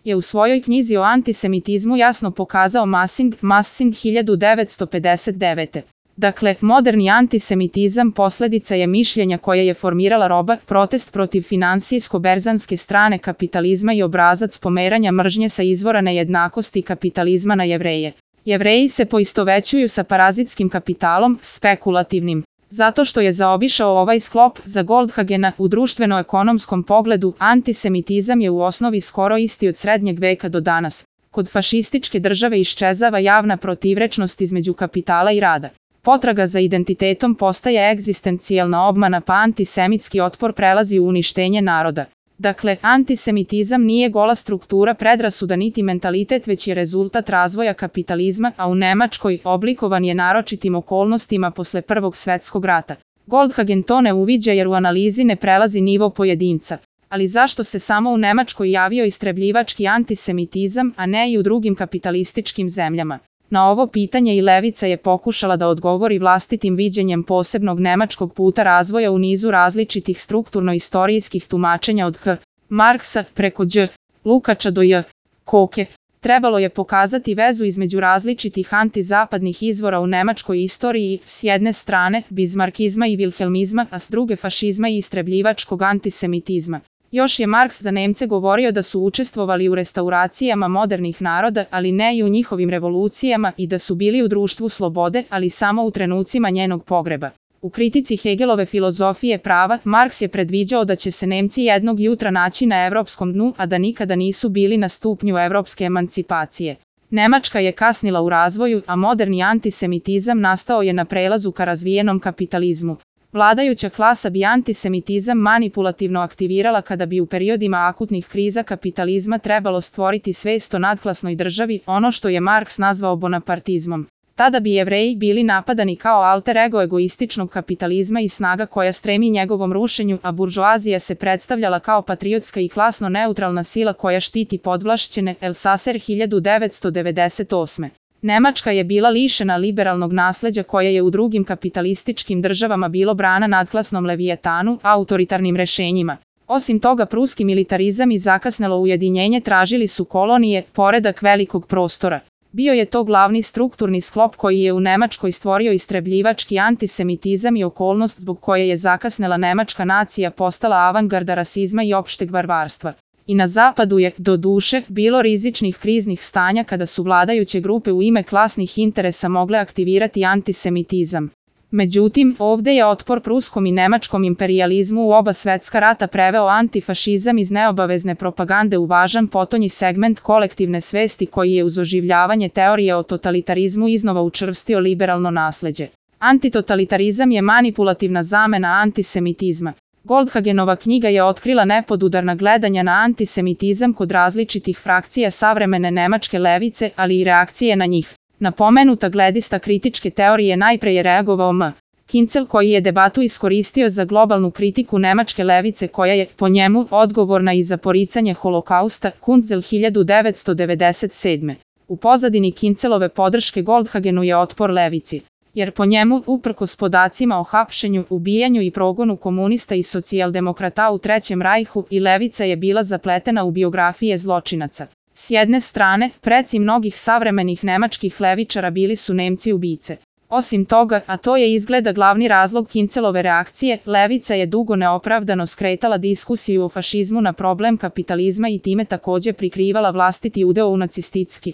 je u svojoj knjizi o antisemitizmu jasno pokazao Massing 1959. Dakle, moderni antisemitizam posljedica je mišljenja koje je formirala roba, protest protiv finansijsko-berzanske strane kapitalizma i obrazac pomeranja mržnje sa izvora nejednakosti kapitalizma na Jevreje. Jevreji se poistovećuju sa parazitskim kapitalom, spekulativnim. Zato što je zaobišao ovaj sklop, za Goldhagena, u društveno-ekonomskom pogledu, antisemitizam je u osnovi skoro isti od srednjeg veka do danas. Kod fašističke države iščezava javna protivrečnost između kapitala i rada. Potraga za identitetom postaje egzistencijalna obmana, pa antisemitski otpor prelazi u uništenje naroda. Dakle, antisemitizam nije gola struktura predrasuda niti mentalitet, već je rezultat razvoja kapitalizma, a u Nemačkoj oblikovan je naročitim okolnostima posle Prvog svjetskog rata. Goldhagen to ne uviđa jer u analizi ne prelazi nivo pojedinca. Ali zašto se samo u Nemačkoj javio istrebljivački antisemitizam, a ne i u drugim kapitalističkim zemljama? Na ovo pitanje i levica je pokušala da odgovori vlastitim viđenjem posebnog nemačkog puta razvoja u nizu različitih strukturno-istorijskih tumačenja od H. Marksa preko Đ. Lukača do J. Koke. Trebalo je pokazati vezu između različitih antizapadnih izvora u nemačkoj istoriji, s jedne strane bizmarkizma i vilhelmizma, a s druge fašizma i istrebljivačkog antisemitizma. Još je Marks za Nemce govorio da su učestvovali u restauracijama modernih naroda, ali ne i u njihovim revolucijama, i da su bili u društvu slobode, ali samo u trenucima njenog pogreba. U kritici Hegelove filozofije prava, Marks je predviđao da će se Nemci jednog jutra naći na evropskom dnu, a da nikada nisu bili na stupnju evropske emancipacije. Nemačka je kasnila u razvoju, a moderni antisemitizam nastao je na prelazu ka razvijenom kapitalizmu. Vladajuća klasa bi antisemitizam manipulativno aktivirala kada bi u periodima akutnih kriza kapitalizma trebalo stvoriti svest o nadklasnoj državi, ono što je Marks nazvao bonapartizmom. Tada bi Jevreji bili napadani kao alter ego egoističnog kapitalizma i snaga koja stremi njegovom rušenju, a buržoazija se predstavljala kao patriotska i klasno neutralna sila koja štiti podvlašćene. Elsaser 1998. Nemačka je bila lišena liberalnog nasleđa koje je u drugim kapitalističkim državama bilo brana nadklasnom levijetanu, autoritarnim rešenjima. Osim toga, pruski militarizam i zakasnelo ujedinjenje tražili su kolonije, poredak velikog prostora. Bio je to glavni strukturni sklop koji je u Nemačkoj stvorio istrebljivački antisemitizam i okolnost zbog koje je zakasnela nemačka nacija postala avangarda rasizma i opšteg varvarstva. I na zapadu je, do duše, bilo rizičnih kriznih stanja kada su vladajuće grupe u ime klasnih interesa mogle aktivirati antisemitizam. Međutim, ovdje je otpor pruskom i nemačkom imperijalizmu u oba svjetska rata preveo antifašizam iz neobavezne propagande u važan potonji segment kolektivne svesti koji je uz oživljavanje teorije o totalitarizmu iznova učvrstio liberalno nasleđe. Antitotalitarizam je manipulativna zamena antisemitizma. Goldhagenova knjiga je otkrila nepodudarna gledanja na antisemitizam kod različitih frakcija savremene nemačke levice, ali i reakcije na njih. Na pomenuta gledišta kritičke teorije najpre je reagovao M. Kincel koji je debatu iskoristio za globalnu kritiku nemačke levice koja je, po njemu, odgovorna i za poricanje holokausta, Kunzel 1997. U pozadini Kincelove podrške Goldhagenu je otpor levici. Jer po njemu, uprkos podacima o hapšenju, ubijanju i progonu komunista i socijaldemokrata u Trećem rajhu, i levica je bila zapletena u biografije zločinaca. S jedne strane, preci mnogih savremenih nemačkih levičara bili su Nemci ubice. Osim toga, a to je izgleda glavni razlog Kincelove reakcije, levica je dugo neopravdano skretala diskusiju o fašizmu na problem kapitalizma i time također prikrivala vlastiti udeo u nacistički